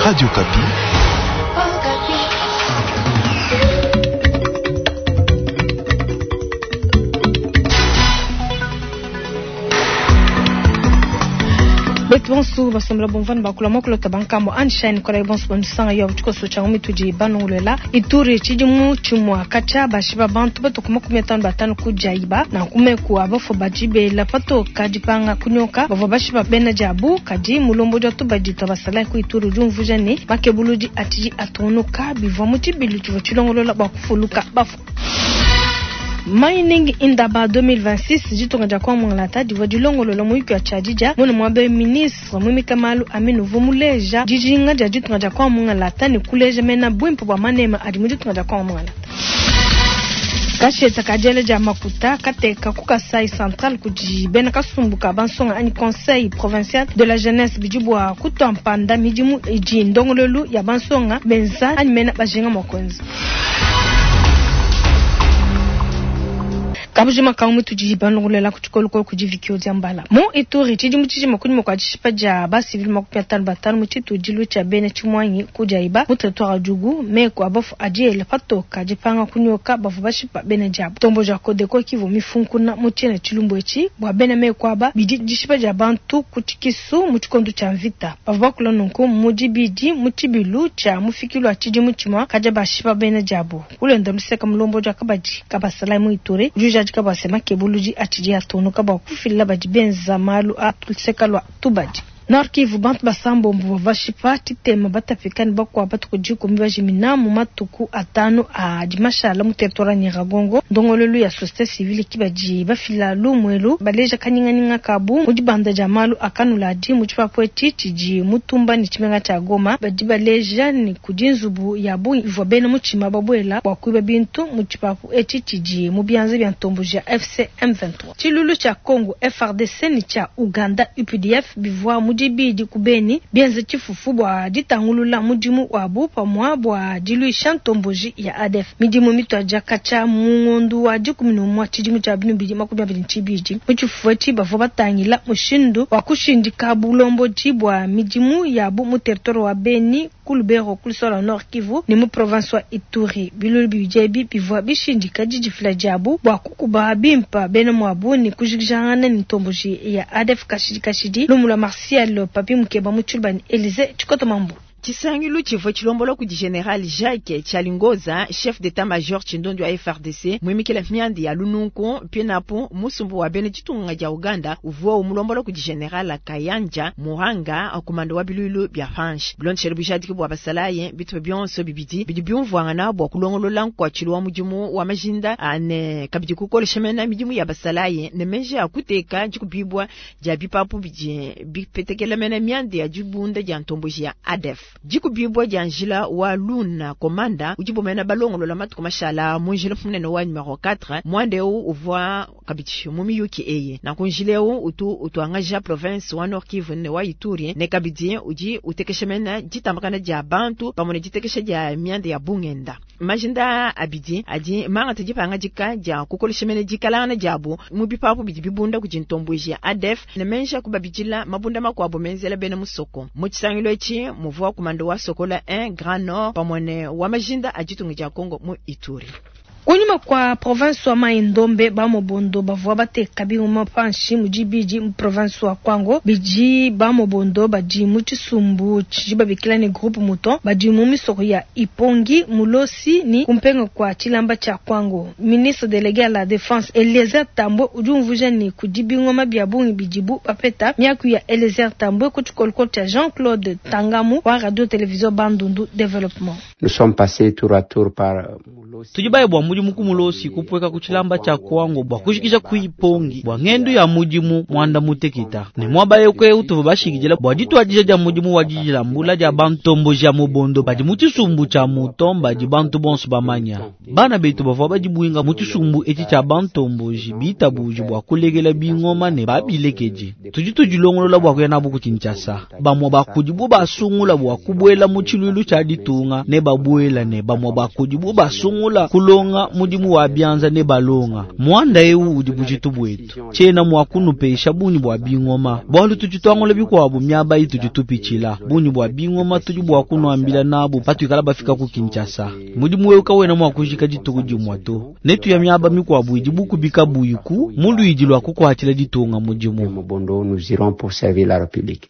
Radio Okapi. Betu bonso basombela bomvana bakula mwakulota bankambo Anshine kola bonso bandusanga yo tshikoso tsha mitudi banongolela Ituri tshidimu tshimua katshia bashiba bantu batuku 55 kujaiba na kumeku abafo bajibela patoka dipanga kunyoka bavua bashiba bena diabu kadi mulombodi wa tubadi twa basalayi ku Ituri udi umvuija ne makebuludi atshidi atungunuka bivua mu tshibilu tshivua tshilongolola bua kufuluka bafu. Mining Indaba 2026 ditunga dia Kongo Mungalata divua dilongolola muyuki wa tshiadidia muna muaba ministre Mwimika Malu Aminu uvua muleja dijinga dia ditunga dia Kongo Mungalata ne kuleja mena buimpe bua manema adi mu ditunga dia Kongo Mungalata. Kasheta ka diela dia makuta kateka ku Kasai Central kudi bena kasumbu ka bansonga anyi Conseil provincial de la jeunesse bidi bua kutua mpanda midimu idi ndongoluelu ya bansonga benza anyi mena bajinga mua kuenza. Kabujima ka mu tudi balongolela ku tshikolokolo kudi Vikio Diambala. Mu Ituri tshidimu tshijima kunyima kua dishipa dia ba civil 55 mu tshitudilu tshia bena tshimuangi ku Diaiba mu territoire wa Djugu, meku a bafu adi ela patoka dipanga kunyoka bavua bashipa bena diabu. Tombo dia Codeco kivua mifunkuna mu tshiena tshilumbu etshi bua bena meku aba bidi dishipa dia bantu ku tshikisu mu tshikondo tshia mvita. Bavua bakula nunku mu dibidi mu tshibilu tshia mufikilu wa tshidimu tshimua kadia bashipa bena diabu. Kulenda luseka mulombodi wa kabadi kabasalayi mu Ituri udi ujadika bua se makebuludi atshidi atungunuka bua kufila badi benza malu a luseka lua tubadi. Nord Kivu, bantu basambombo bavua bashipa tshitema batapika ne bakuabu batuku dikumi bajimina mu matuku atanu adi mashala mu territoire ya Nyiragongo. Ndongoluelu ya société civile ki badi bafila lumuelu baleja kanyinganyinga kabu mu dibanda dia malu a kanuladi mu tshipapu etshi tshidi mutumba ne tshimenga tshia Goma. Badi baleja ne kudi nzubu ya bungi ivua bena mutshima babuela bua kuiba bintu mu tshipapu etshi tshidi mu bianza bia ntomboji ya FC M23. Tshiluilu tshia Congo FARDC ne tshia Uganda UPDF bivua mu dibidi ku Beni bienze tshifufu bua ditangulula mudimu wabu pamua bua diluisha ntomboji ya ADF. Midimu mituadija katshia mu ngondu wa 11 tshidimu tshia 2022. Mu tshifufu etshi bavua batangila mushindu wa kushindika bulombodi bua midimu yabu mu territoire wa Beni, ku Lubero, ku Lusala Nord Kivu ne mu province wa Ituri. Bilulu bibidi ebi bivua bishindika didifila diabu bua kukuba bimpa bena muabu ne kujikijangana ne ntomboji ya ADF kashidi kashidi. Lumu lua Martial Papi Mukeba mu Tshiluba ne Elise Tshikoto Mambu. Tshisangilu tshivua tshilombola kudi General Jacques Tshalingoza, chef d'état-major tshindondi wa FARDC, muimikila mianda ya lununku pinapu musumbu wa bena ditunga dia Uganda uvua umulombola kudi General Kayanja Muhanga, komanda wa biluilu bia France. Bilondeshele bujadiki bua basalayi bitupa bionso bibidi bidi biumvuangana bua kulongolola nkuatshilu wa mudimu wa majinda ane kabidi kukolesha mena midimu ya basalayi ne meji a kuteka dikubibua dia bipapu bidi bipetekela mena mianda ya dibunda dia ntomboji ya ADF. Dikubibua dia njila wa Luna Komanda udi bomena balongolola matuku mashala mu njila munene wa numero 4 mwanda eu uvua kabidi mu miyuki eyi. Nanku njila eu utu utuangaja province wa Nord Kivu ne wa Ituri ne kabidi udi utekesha mena ditambakana dia bantu pamue ne ditekesha dia mianda ya bungenda. Majinda abidi adi mangata dipangadika dia kukolesha mena dikalangana diabu mu bipapu bidi bibunda kudi ntomboji ya ADF ne menja kubabidila mabunda makuabu menzela bena musoko. Mu tshisangilu etshi muvua komanda wa Sokola 1 Grand Nord pamue ne wa majinda a ditunga dia Congo mu Ituri. Kunyima kwa province wa Mai-Ndombe ba Mobondo bavua bateka bingoma panshi mu dibidi mu province wa Kwango bidi ba Mobondo badi mu tshisumbu tshidi babikila ne groupe Mouton badi mu misoko ya Ipongi Mulosi ni kumpenga kwa tshilamba tshia Kwango. Ministre délégué à la défense Eliezer Tambwe udi umvuija ne kudi bingoma bia bungi bidibu bapeta. Miaku ya Eliezer Tambwe ku tshikolokolo tshia Jean-Claude Tangamu wa radio télévision Bandundu Développement. Nous sommes passés tour à tour par Mulosi. Tudi baye bua mudimu ku Mulosi kupueka ku tshilamba tshia Kwango bua kujikija ku Ipongi bua ngendu ya mudimu mwanda muteketa ne muaba eu utuvua bashikidila bua dituadija dia mudimu wa didilambula dia bantomboji ya Mobondo badi mu tshisumbu tshia Mouton badi bantu bonso bamanya. Bana betu bavua badibuinga mu tshisumbu etshi tshia bantomboji bitabuji bua kulekela bingoma ne babilekeji. Tudi tudilongolola bua kuya nabu ku Kinshasa. Bamue ba kudibu basungula bua kubuela mu tshiluilu tshia ditunga ne babuela ne bamua ba kudibu basungula kulonga mudimu wa bianza ne balonga. Muanda eu udi bujitu bwetu. Tshiena mua kunupesha bungi bua bingoma, bualu tudi tuangula bikuabu miaba itudi tupitshila. Bungi bua bingoma tudi bua kunuambila nabu patuikala bafika ku Kinshasa. Mudimu eu kawena mua kujika dituku dimue to. Netuya miaba mikuabu idi bukubi kabuyiku mu luidi lua kukuatshila ditunga mudimu. Mobondo, nous irons pour servir la République.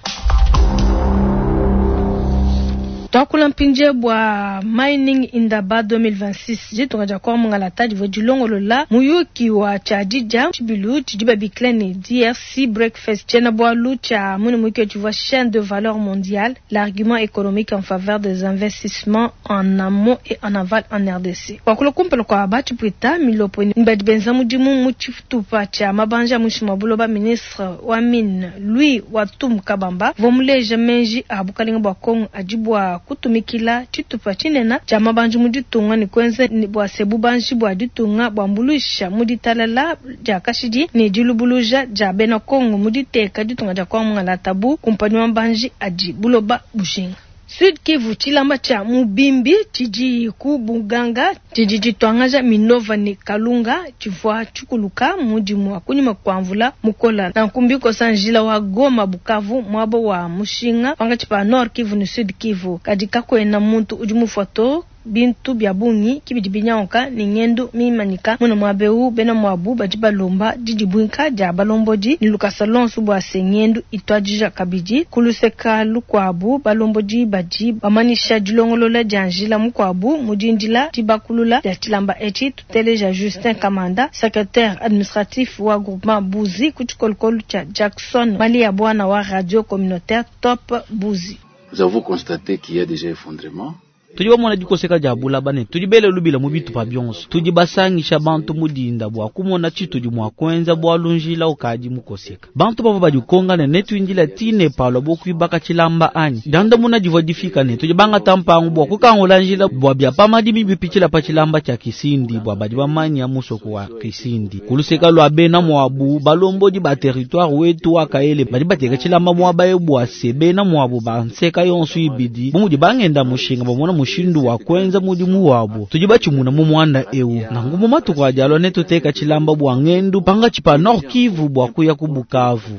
Twakula mpindie bua Mining Indaba 2026 ditunga dia Kongo mungalata divua dilongolola muyuki wa tshiadidia tshibilu tshidi babikila ne DRC Breakfast. Tshiena-bualu tshia mune muyuki tshivua chaîne de valeur mondiale, l'argument économique en faveur des investissements en amont et en aval en RDC. Wakula kumpala kua batshipuita milopo ni badi benza mudimu mu tshitupa tshia mabanji a muinshi mua buloba. Ministre wa mine Louis Watum Kabamba uvua muleja meji a bukalenga bua Kongo adi bua kutumikila tshitupa tshinene tshia mabanji mu ditunga ne kuenza bua se bubanji bua ditunga buambuluisha mu ditalala dia kashidi ne dilubuluja dia bena Kongo mu diteka ditunga dia Kongo mungalata bu kumpanyi wa mabanji adi buloba bujinga. Sud Kivu, tshilamba tshia Mubimbi tshidi ku Buganga tshidi tshituangaja Minova ne Kalunga tshivua tshikuluka mudimu wa kunyima kua mvula mukola. Nanku mbikosa njila wa Goma Bukavu muaba wa mushinga pankatshi pa Nord Kivu ne Sud Kivu. Kadi kakuena muntu udi mufua to. Bintu bia bungi kibidi binyanguka ne ngendo mimanyika muna muaba eu. Bena muabu badi balomba didibuinka dia balombodi ne lukasa lonso bua se ngendo ituadija kabidi. Ku luseka lukuabu balombodi badi bamanyisha dilongolola dia njila mukuabu mu dindila dibakulula dia tshilamba etshi. Tuteleja Justin Kamanda, secrétaire administratif wa groupement Buzi ku tshikolokolo tshia Jackson Malia Bwana wa radio communautaire Top Buzi. Nous avons constaté qu'il y a déjà effondrement. Tudi bamona dikoseka dia bulaba ne tudi bele lubila mu bitupa bionso. Tudi basangisha bantu mudinda bua kumona tshitudi mua kuenza bualu njila ukadi mukoseka. Bantu bavua badikongane ne tuindila tine palua bokuibaka tshilamba anyi dandamuna divua difika ne tudi bangata mpangu bua kukangula njila bua bia pamadimi bipitshila pa tshilamba tshia Kisindi bua badi bamanya musoko wa Kisindi. Kuluseka lua bena muabu balombodi ba territoire wetu wa Kaele badi bateka tshilamba muaba eu bua se bena muabu banseka yonso ibidi bu mudi bangenda mushinga bamona mushindu wa kuenza mudimu wabo. Tudi batshimuna mu muanda eu nangu mu matuku adi alua netuteka tshilamba bua ngendu pankatshi pa Nord Kivu bua kuya ku Bukavu.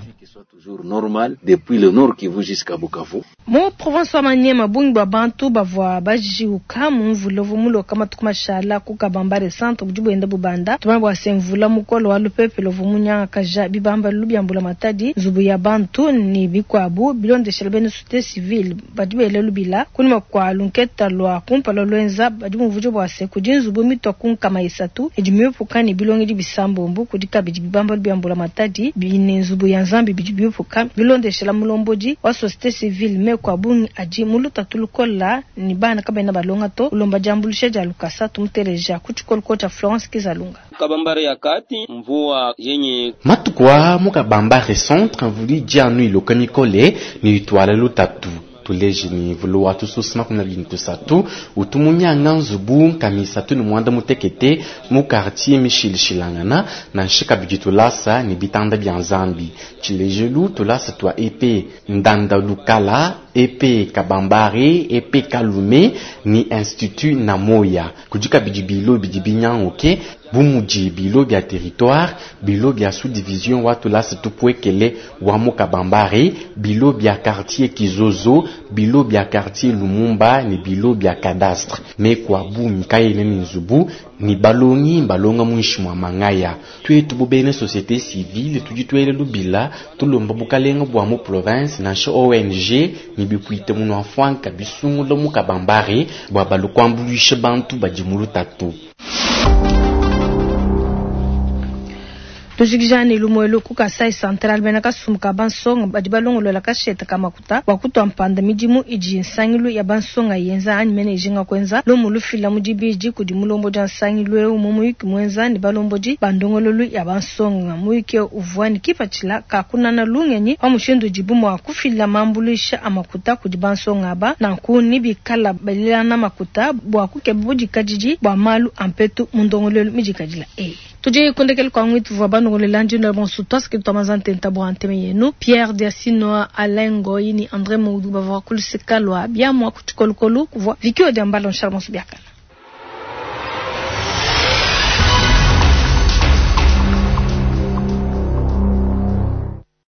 Toujours normal depuis le Nord Kivu jusqu'à Bukavu. Mu province wa Maniema bungi bua bantu bavua bajiuka mu mvula uvua muloka matuku mashala ku Kabambare centre budi buenda bubanda. Tumanya bua se mvula mukolo wa lupepele uvua munyangakaja bibambalu bia mbula matadi, nzubu ya bantu ne bikuabu. Bilondeshela bena société civile badi bela lubila kunyima kua lunketa lua kumpala lwenza badi bumvuija bua se kudi nzubu mitua ku 300 idi miupuka ne bilongedi bisambombo. Kudi kabidi bibambalu bia mbula matadi ne nzubu ya nzambi bidi biupuka. Bilondeshela mulombodi wa société civile meku a bungi adi mu lutatu lukola ne bana kabena balonga to ulomba diambuluisha dia lukasa. Tumuteleja ku tshikoloko tshia Florence Kizalunga. Kabambare ya kati mvua yenye matuku a mu Kabambare centre mvula idi anu iloka mikole ne itwala lutatu. Tuleje ni vulu wa tususu 23 utumunyanga nzubu 396 mu quartier mishilishilangana nansha kabidi tulasa ni bitanda bia nzambi. Tshilejelu tulasa tua EP Ndanda Lukala, EP Kabambare, EP Kalume ni institut Namoya. Kudi kabidi bilo bidi binyanguke bu mudi bilo bia territoire, bilo bia sous-division wa tulasa tupwekele wa mu Kabambare, bilo bia quartier Kizozo, bilo bia quartier Lumumba ni bilo bia cadastre. Meku a bungi kayena ne nzubu ni balongi balonga muinshi mua mangaya. Tuetu bu bena société civile tudi tuela lubila tulomba bukalenga bua mu province nansha ONG ni bipwite munu afuanka bisungula mu Kabambare bua balu kuambuluisha bantu badi mu lutatu. Tujikijane lumuelu ku Kasai Central bena kasumbu ka bansonga badi balongolola kasheta ka makuta bua kutua mpanda midimu idi nsangilu ya bansonga yenza anyi mene ijinga kuenza. Lumu lufila mu dibidi kudi mulombodi wa nsangilu eu mu muyuki muenza ne balombodi ba ndongololu ya bansonga. Muyuki uvua ne kipatshila ka kunana lungenyi pa mushindu udibu mua kufila mambuluisha a makuta kudi bansonga aba, nanku ni bikala balelana makuta bua kukeba budikadidi bua malu a mpetu mu ndongololu midikadila eyi. Tudi kundekele kwa ngwitu vwa banongolela njino bonso twasike twamaza ntenta bwa nteme yenu Pierre Diasinoa Alain Ngoyi ni André Moudu bavwa kulusika lwa biamwa kuchikolokolo kuvwa vikio dia mbalo nshala bonso biakana.